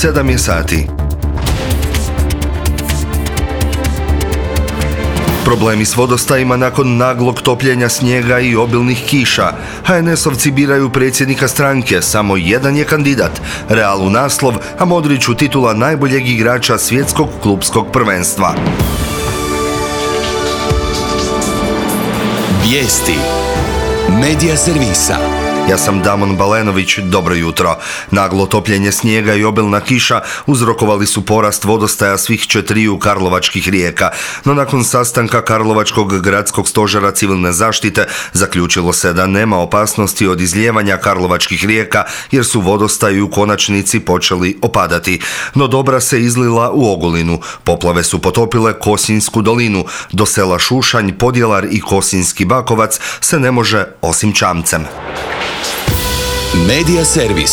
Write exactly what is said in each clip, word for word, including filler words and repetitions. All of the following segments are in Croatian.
sedam je sati. Problemi s vodostajima nakon naglog topljenja snijega i obilnih kiša. ha en esovci biraju predsjednika stranke, samo jedan je kandidat. Realu naslov, a Modriću titula najboljeg igrača svjetskog klupskog prvenstva. Vijesti Medija servisa. Ja sam Damon Balenović, dobro jutro. Naglo topljenje snijega i obilna kiša uzrokovali su porast vodostaja svih četiriju karlovačkih rijeka, no nakon sastanka Karlovačkog gradskog stožera civilne zaštite zaključilo se da nema opasnosti od izlijevanja karlovačkih rijeka jer su vodostaji u konačnici počeli opadati. No Dobra se izlila u Ogulinu, poplave su potopile Kosinjsku dolinu, do sela Šušanj, Podjelar i Kosinjski Bakovac se ne može osim čamcem. Medija servis.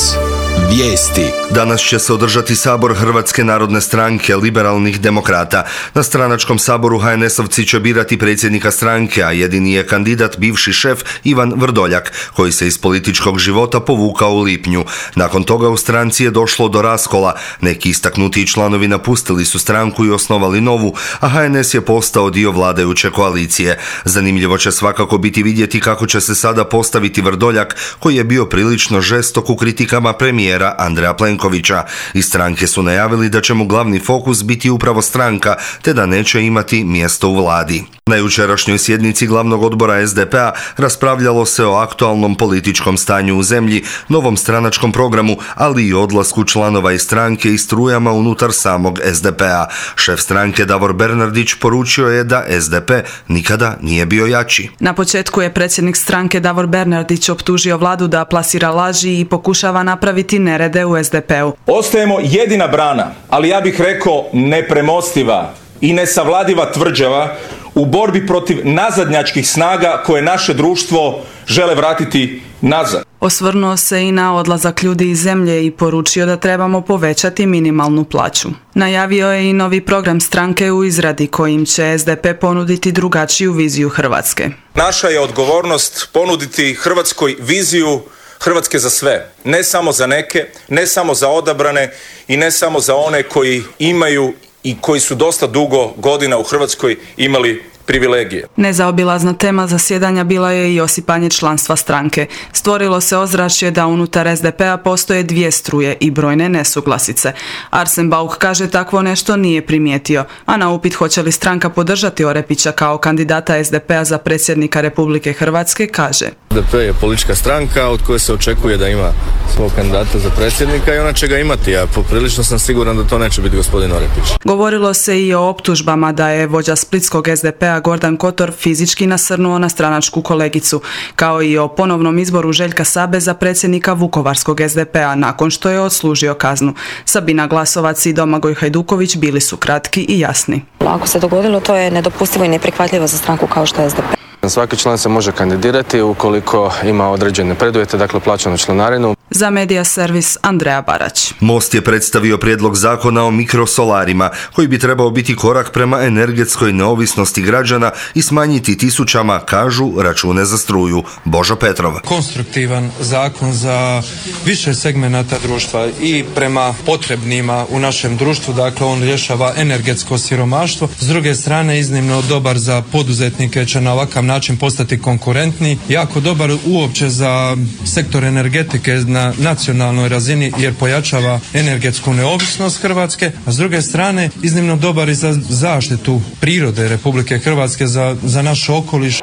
Vijesti. Danas će se održati sabor Hrvatske narodne stranke liberalnih demokrata. Na stranačkom saboru ha en esovci će birati predsjednika stranke, a jedini je kandidat bivši šef Ivan Vrdoljak, koji se iz političkog života povukao u lipnju. Nakon toga u stranci je došlo do raskola. Neki istaknuti članovi napustili su stranku i osnovali novu, a ha en es je postao dio vladajuće koalicije. Zanimljivo će svakako biti vidjeti kako će se sada postaviti Vrdoljak, koji je bio prilično žestok u kritikama premijera Andreja Plenkovića. Iz stranke su najavili da će mu glavni fokus biti upravo stranka, te da neće imati mjesto u vladi. Na jučerašnjoj sjednici glavnog odbora es de pe a raspravljalo se o aktualnom političkom stanju u zemlji, novom stranačkom programu, ali i odlasku članova iz stranke i strujama unutar samog es de pe a. Šef stranke Davor Bernardić poručio je da es de pe nikada nije bio jači. Na početku je predsjednik stranke Davor Bernardić optužio vladu da plasira laži i pokušava napraviti nerede u es de pe u. Ostajemo jedina brana, ali ja bih rekao nepremostiva i nesavladiva tvrđava u borbi protiv nazadnjačkih snaga koje naše društvo žele vratiti nazad. Osvrnuo se i na odlazak ljudi iz zemlje i poručio da trebamo povećati minimalnu plaću. Najavio je i novi program stranke u izradi kojim će es de pe ponuditi drugačiju viziju Hrvatske. Naša je odgovornost ponuditi Hrvatskoj viziju Hrvatske za sve, ne samo za neke, ne samo za odabrane i ne samo za one koji imaju i koji su dosta dugo godina u Hrvatskoj imali privilegije. Nezaobilazna tema zasjedanja bila je i osipanje članstva stranke. Stvorilo se ozračje da unutar es de pe a postoje dvije struje i brojne nesuglasice. Arsen Bauk kaže takvo nešto nije primijetio, a na upit hoće li stranka podržati Orepića kao kandidata es de pe a za predsjednika Republike Hrvatske kaže: es de pe je politička stranka od koje se očekuje da ima svog kandidata za predsjednika i ona će ga imati, a poprilično sam siguran da to neće biti gospodin Orepić. Govorilo se i o optužbama da je vođa splitskog es de pe a Gordan Kotor fizički nasrnuo na stranačku kolegicu, kao i o ponovnom izboru Željka Sabe za predsjednika Vukovarskog es de pe a nakon što je odslužio kaznu. Sabina Glasovac i Domagoj Hajduković bili su kratki i jasni. Ako se dogodilo, to je nedopustivo i neprihvatljivo za stranku kao što je es de pe. Svaki član se može kandidirati ukoliko ima određene preduvjete, dakle plaćanu članarinu. Za Medija servis Andreja Barać. Most je predstavio prijedlog zakona o mikrosolarima, koji bi trebao biti korak prema energetskoj neovisnosti građana i smanjiti tisućama, kažu, račune za struju. Božo Petrov. Konstruktivan zakon za više segmenata društva i prema potrebnima u našem društvu, dakle on rješava energetsko siromaštvo. S druge strane, iznimno dobar za poduzetnike, će na ovakav način postati konkurentni, jako dobar uopće za sektor energetike na nacionalnoj razini jer pojačava energetsku neovisnost Hrvatske, a s druge strane iznimno dobar i za zaštitu prirode Republike Hrvatske, za, za naš okoliš.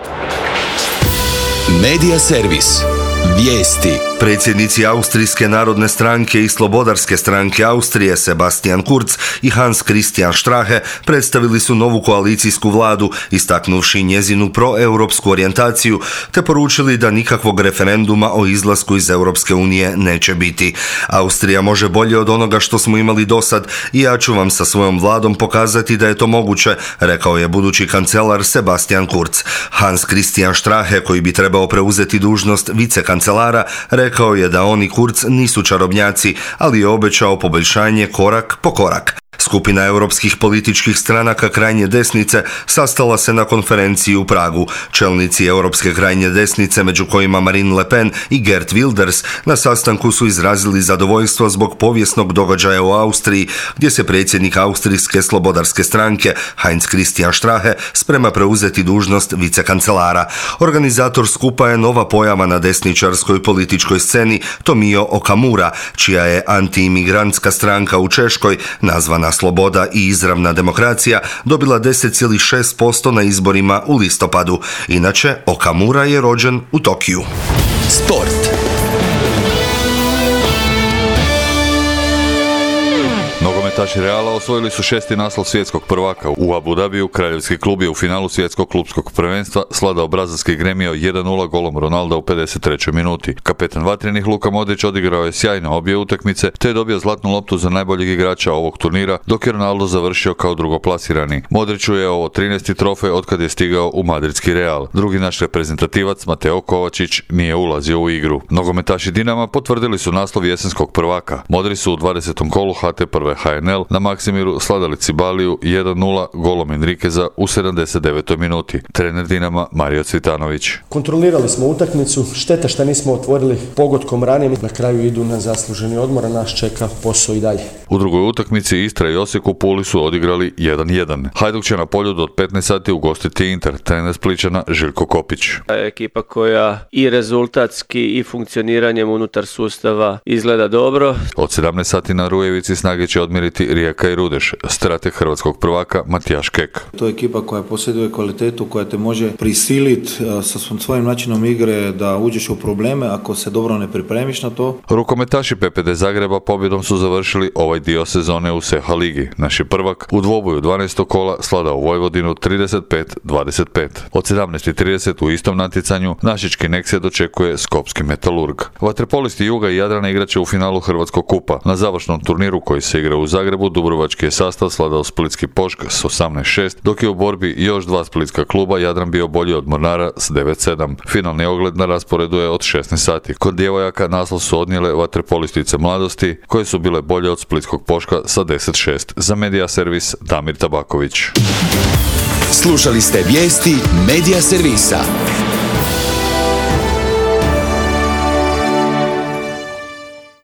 Medija servis. Vijesti. Predsjednici Austrijske narodne stranke i Slobodarske stranke Austrije Sebastian Kurz i Hans Christian Strache predstavili su novu koalicijsku vladu, istaknuvši njezinu proeuropsku orijentaciju, te poručili da nikakvog referenduma o izlasku iz Europske unije neće biti. Austrija može bolje od onoga što smo imali dosad i ja ću vam sa svojom vladom pokazati da je to moguće, rekao je budući kancelar Sebastian Kurz. Hans Christian Strache, koji bi trebao preuzeti dužnost vicekancelara, rekao je da oni Kurz nisu čarobnjaci, ali je obećao poboljšanje korak po korak. Skupina europskih političkih stranaka krajnje desnice sastala se na konferenciji u Pragu. Čelnici europske krajnje desnice, među kojima Marine Le Pen i Geert Wilders, na sastanku su izrazili zadovoljstvo zbog povijesnog događaja u Austriji, gdje se predsjednik Austrijske slobodarske stranke Heinz Christian Strache sprema preuzeti dužnost vicekancelara. Organizator skupa je nova pojava na desničarskoj političkoj sceni Tomio Okamura, čija je antiimigrantska stranka u Češkoj, nazvana Sloboda i izravna demokracija, dobila deset zarez šest posto na izborima u listopadu. Inače, Okamura je rođen u Tokiju. Sport. Nogometaši Reala osvojili su šesti naslov svjetskog prvaka. U Abu Dhabiju kraljevski klub je u finalu svjetskog klubskog prvenstva sladao brazilski Gremio jedan nula golom Ronalda u pedeset trećoj minuti. Kapetan vatrenih Luka Modrić odigrao je sjajno obje utakmice te je dobio zlatnu loptu za najboljeg igrača ovog turnira, dok je Ronaldo završio kao drugoplasirani. Modriću je ovo trinaesti trofej otkad je stigao u madridski Real. Drugi naš reprezentativac Mateo Kovačić nije ulazio u igru. Nogometaši Dinama potvrdili su naslov jesenskog prvaka. Modri su u dvadesetom kolu H T prve H N L na Maksimiru sladali Cibaliju jedan nula golom Enriqueza u sedamdeset devetoj minuti. Trener Dinama Mario Cvitanović. Kontrolirali smo utakmicu, šteta što nismo otvorili pogodkom ranije, na kraju idu na zasluženi odmor, a nas čeka posao i dalje. U drugoj utakmici Istra i Osijek u Puli su odigrali jedan jedan. Hajduk će na Poljudu od petnaest sati ugostiti Inter, trener Splićana Željko Kopić. Ekipa koja i rezultatski i funkcioniranjem unutar sustava izgleda dobro. Od sedamnaest sati na Rujevici snage će odmjeriti Rijeka i Rudeš, strateg hrvatskog prvaka Matijaš Kek. To je ekipa koja posjeduje kvalitetu, koja te može prisiliti sa svojim načinom igre da uđeš u probleme ako se dobro ne pripremiš na to. Rukometaši P P D Zagreba pobjedom su završili ovaj dio sezone u S E H A ligi. Naš je prvak u dvoboju dvanaestog kola sladao Vojvodinu trideset pet dvadeset pet. Od sedamnaest trideset u istom natjecanju našički Neksija dočekuje Skopski Metalurg. Vaterpolisti Juga i Jadrana igraće u finalu Hrvatskog kupa. Na završnom turniru koji se igra u Zagrebu, dubrovački je sastav sladao Splitski Pošk s osamnaest šest, dok je u borbi još dva splitska kluba Jadran bio bolji od Mornara s devet sedam. Finalni ogled na rasporedu je od šesnaest sati. Kod djevojaka naslov su odnijele vaterpolistice Mladosti, koje su bile bolje od Splitskog Poška sa deset šest. Za Medija servis Damir Tabaković. Slušali ste vijesti Medija servisa.